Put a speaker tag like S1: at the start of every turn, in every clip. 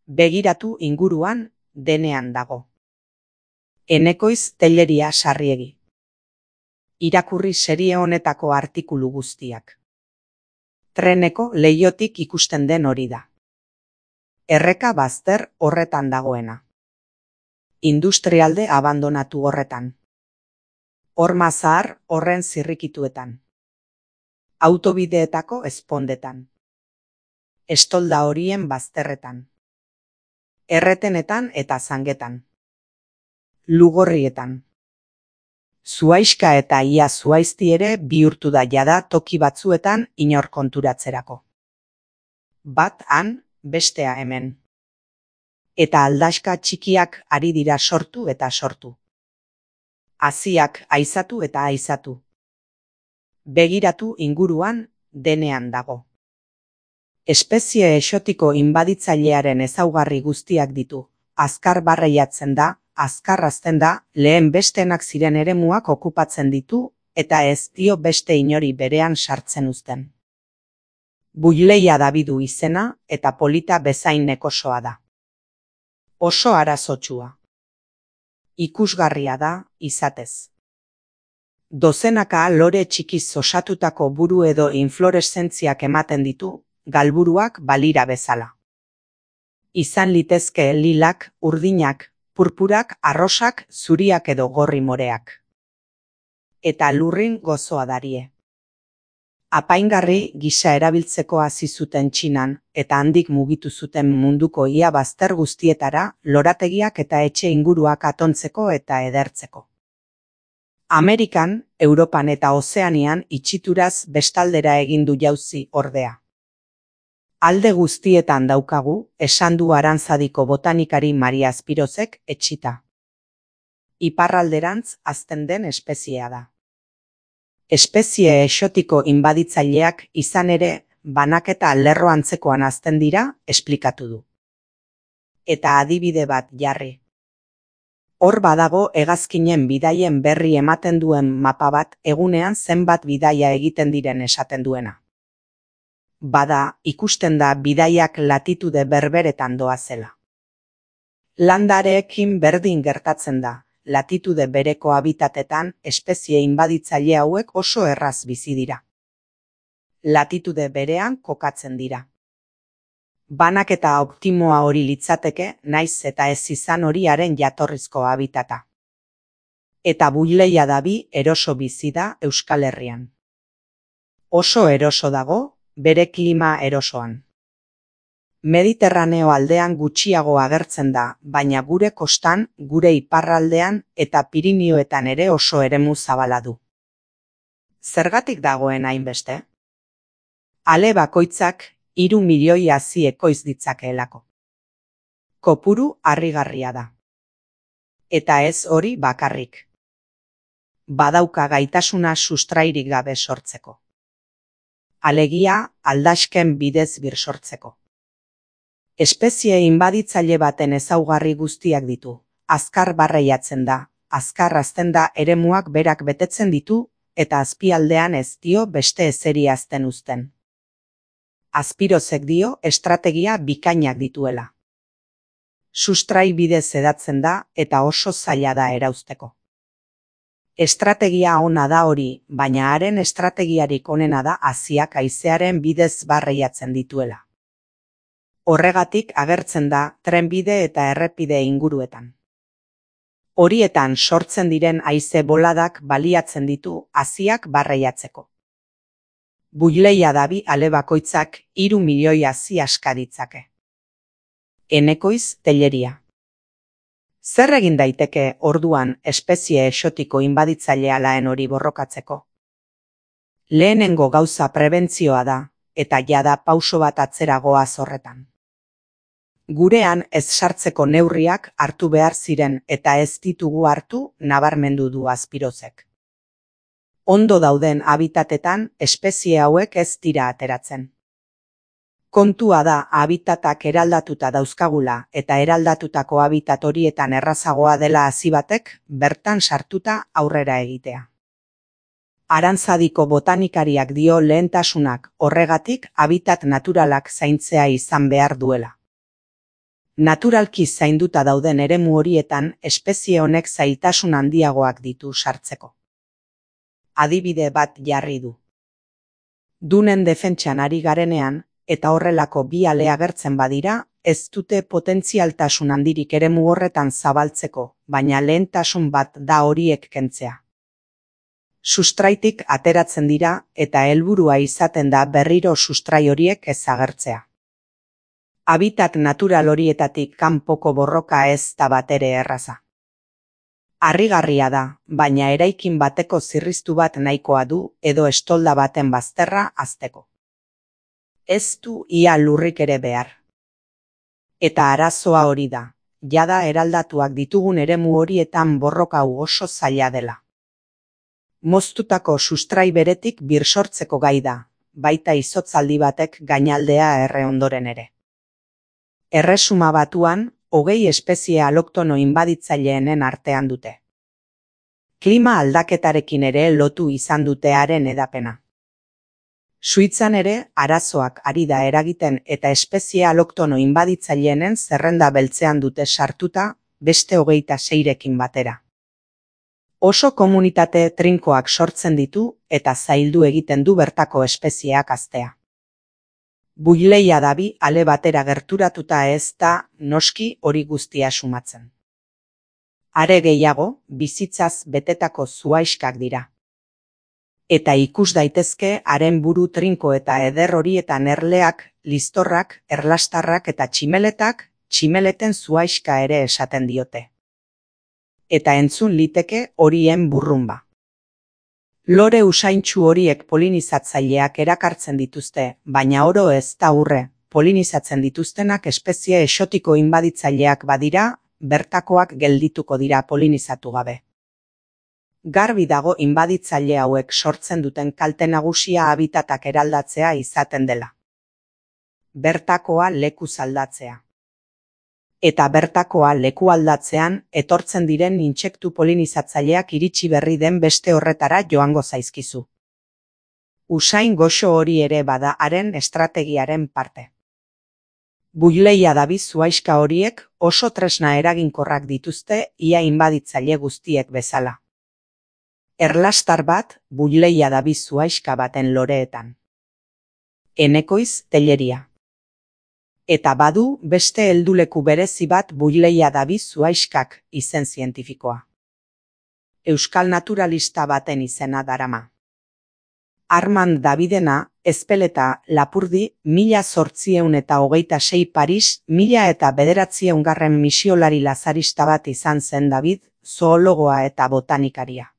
S1: Begiratu inguruan, denean dago. Enekoiz Telleria Sarriegi. Irakurri serie honetako artikulu guztiak. Treneko leihotik ikusten den hori da. Erreka bazter horretan dagoena. Industrialde abandonatu horretan. Horma zahar horren zirrikituetan. Autobideetako ezpondetan. Estolda horien bazterretan. Erretenetan eta zangetan. Lugorrietan. Zuhaixka eta ia zuhaizti ere bihurtu da jada toki batzuetan inor konturatzerako. Bat han, bestea hemen. Eta aldaxka txikiak ari dira sortu eta sortu. Haziak aizatu eta aizatu. Begiratu inguruan, denean dago. Espezie exotiko inbaditzailearen ezaugarri guztiak ditu. Azkar barreiatzen da, azkar hazten da, lehen bestenak ziren eremuak okupatzen ditu, eta ez dio beste inori berean sartzen uzten. Buileia dabidu izena, eta polita bezain nekosoa da. Oso arazotsua. Ikusgarria da, izatez. Dozenaka lore txikiz osatutako buru edo inflorescentziak ematen ditu, galburuak balira bezala. Izan litezke lilak, urdinak, purpurak, arrosak, zuriak edo gorri moreak. Eta lurrin gozoa darie. Apaingarri gisa erabiltzeko hasi zuten Txinan, eta handik mugitu zuten munduko ia bazter guztietara, lorategiak eta etxe inguruak atontzeko eta edertzeko. Amerikan, Europan eta Ozeanian itxituraz bestaldera egin du jauzi ordea. Alde guztietan daukagu, esan du Arantzadiko botanikari Maria Spirozek etxita. Iparralderantz hazten den espeziea da. Espezie exotiko inbaditzaileak izan ere, banaketa lerro antzekoan hazten dira, esplikatu du. Eta adibide bat jarri. Hor badago hegazkinen bidaien berri ematen duen mapa bat egunean zenbat bidaia egiten diren esaten duena. Bada, ikusten da bidaiak latitude berberetan doazela. Landareekin berdin gertatzen da, latitude bereko habitatetan espezie inbaditzaile hauek oso erraz bizi dira. Latitude berean kokatzen dira. Banaketa optimoa hori litzateke, naiz eta ez izan horiaren jatorrizko habitata. Eta buileia dabi eroso bizi da Euskal Herrian. Oso eroso dago, bere klima erosoan. Mediterraneo aldean gutxiago agertzen da, baina gure kostan, gure iparraldean eta Pirinioetan ere oso eremu zabala du. Zergatik dagoen hainbeste? Ale bakoitzak 3 milioi hazi ekoiz ditzakeelako. Kopuru harrigarria da. Eta ez hori bakarrik. Badauka gaitasuna sustrairik gabe sortzeko. Alegia, aldaxken bidez birsortzeko. Espezie inbaditzaile baten ezaugarri guztiak ditu. Azkar barreiatzen da, azkar hazten da eremuak berak betetzen ditu, eta azpialdean ez dio beste ezeri hazten uzten. Spirozek dio estrategia bikainak dituela. Sustrai bidez hedatzen da, eta oso zaila da erauzteko. Estrategia ona da hori, baina haren estrategiarik onena da haziak haizearen bidez barreiatzen dituela. Horregatik agertzen da trenbide eta errepide inguruetan. Horietan sortzen diren haize boladak baliatzen ditu haziak barreiatzeko. Buileia dabi ale bakoitzak 3 milioi hazi aska ditzake. Enekoiz Telleria. Zer egin daiteke orduan espezie exotiko inbaditzailea laen hori borrokatzeko? Lehenengo gauza prebentzioa da, eta jada pauso bat atzera goaz horretan. Gurean ez sartzeko neurriak hartu behar ziren eta ez ditugu hartu nabarmendu du Spirozek. Ondo dauden habitatetan espezie hauek ez dira ateratzen. Kontua da habitatak eraldatuta dauzkagula eta eraldatutako habitat horietan errazagoa dela hazi batek bertan sartuta aurrera egitea. Arantzadiko botanikariak dio lehentasunak horregatik habitat naturalak zaintzea izan behar duela. Naturalki zainduta dauden eremu horietan espezie honek zailtasun handiagoak ditu sartzeko. Adibide bat jarri du. Dunen defentsan ari garenean, eta horrelako bi ale agertzen badira, ez dute potentzialtasun handirik eremu horretan zabaltzeko, baina lehentasun bat da horiek kentzea. Sustraitik ateratzen dira eta helburua izaten da berriro sustrai horiek ez agertzea. Habitat natural horietatik kanpoko borroka ez da batere erraza. Harrigarria da, baina eraikin bateko zirriztu bat nahikoa du edo estolda baten bazterra hazteko. Ez du ia lurrik ere behar. Eta arazoa hori da, jada eraldatuak ditugun eremu horietan borroka hau oso zaila dela. Moztutako sustrai beretik birsortzeko gai da, baita izotzaldi batek gainaldea erre ondoren ere. Erresuma Batuan, 20 espezie aloktono inbaditzailenen artean dute. Klima aldaketarekin ere lotu izan dute haren hedapena. Suitzan ere, arazoak ari da eragiten eta espezie aloktono inbaditzailenen zerrenda beltzean dute sartuta, beste 26rekin batera. Oso komunitate trinkoak sortzen ditu eta zaildu egiten du bertako espezieak haztea. Buileia dabi ale batera gerturatuta ez da noski hori guztia sumatzen. Are gehiago, bizitzaz betetako zuaiskak dira. Eta ikus daitezke haren buru trinko eta eder horietan erleak, listorrak, erlastarrak eta tximeletak, tximeleten zuaiska ere esaten diote. Eta entzun liteke horien burrunba. Lore usaintsu horiek polinizatzaileak erakartzen dituzte, baina oro ez da urre, polinizatzen dituztenak espezie exotiko inbaditzaileak badira, bertakoak geldituko dira polinizatu gabe. Garbi dago inbaditzaile hauek sortzen duten kalte nagusia habitatak eraldatzea izaten dela. Bertakoa lekuz aldatzea. Eta bertakoa leku aldatzean etortzen diren intsektu polinizatzaileak iritsi berri den beste horretara joango zaizkizu. Usain goxo hori ere bada haren estrategiaren parte. Buileia dabi zuaiska horiek oso tresna eraginkorrak dituzte ia inbaditzaile guztiek bezala. Erlastar bat buileia dabi zuaiska baten loreetan. Enekoiz telleria. Eta badu beste helduleku berezi bat buileia dabi zuaiskak izen zientifikoa. Euskal naturalista baten izena darama. Armand Davidena, Ezpeleta, Lapurdi, 1826 Paris, 1909 misiolari lazarista bat izan zen David, zoologoa eta botanikaria.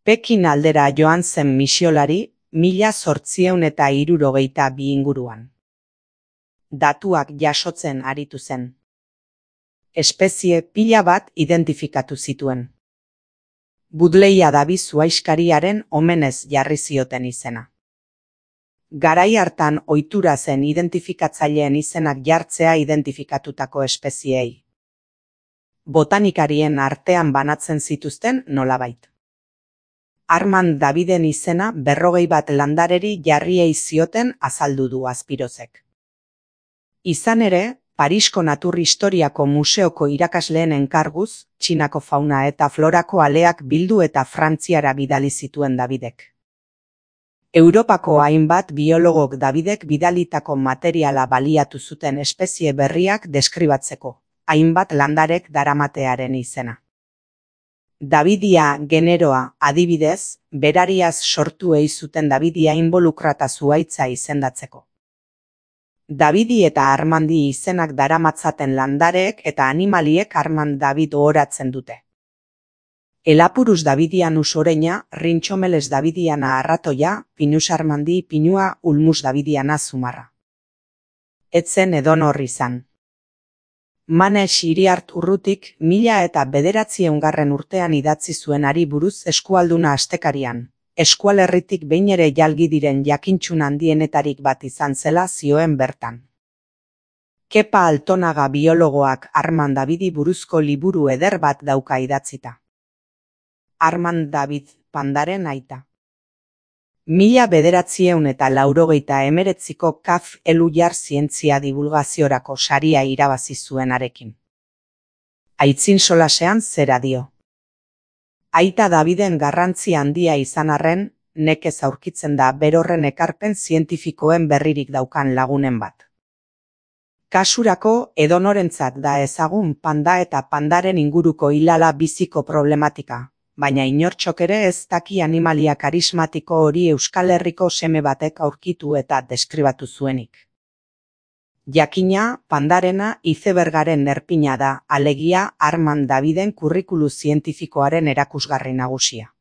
S1: Pekin aldera joan zen misiolari, 1862 inguruan. Datuak jasotzen aritu zen. Espezie pila bat identifikatu zituen. Buileia dabi zuaiskariaren omenez jarri zioten izena. Garai hartan ohitura zen identifikatzaileen izenak jartzea identifikatutako espeziei. Botanikarien artean banatzen zituzten nolabait. Armand Daviden izena 41 landareri jarriei zioten azaldu du Azpirozek. Izan ere, Parisko Natur Historiako Museoko irakasleen enkarguz, Txinako fauna eta florako aleak bildu eta Frantziara bidali zituen Davidek. Europako hainbat biologok Davidek bidalitako materiala baliatu zuten espezie berriak deskribatzeko, hainbat landarek daramatearen izena. Davidia generoa, adibidez, berariaz sortu ei zuten Davidia involukrata zuhaitza izendatzeko. Davidi eta Armandi izenak daramatzaten landareek eta animaliek Armand David ohoratzen dute. Elapurus Davidianus oreina, Rintxomeles Davidiana arratoia, Pinus Armandi pinua, Ulmus Davidiana zumarra. Etzen edonor izan. Manes Iriart Urrutik 1909 urtean idatzi zuenari buruz eskualduna astekarian. Eskualerritik behin ere jalgi diren jakintxun handienetarik bat izan zela zioen bertan. Kepa Altonaga biologoak Armand Davidi buruzko liburu eder bat dauka idatzita. Armand David, pandaren aita. 1989ko KAF Elujar zientzia divulgaziorako saria irabazi zuenarekin. Aitzin solasean zera dio. Aita Daviden garrantzi handia izan arren, nekez aurkitzen da berorren ekarpen zientifikoen berririk daukan lagunen bat. Kasurako edonorentzat da ezagun panda eta pandaren inguruko hilala biziko problematika, baina inortxok ere ez daki animalia karismatiko hori Euskal Herriko seme batek aurkitu eta deskribatu zuenik. Jakina, pandarena izebergaren erpina da, alegia Armand Daviden kurrikulu zientifikoaren erakusgarri nagusia.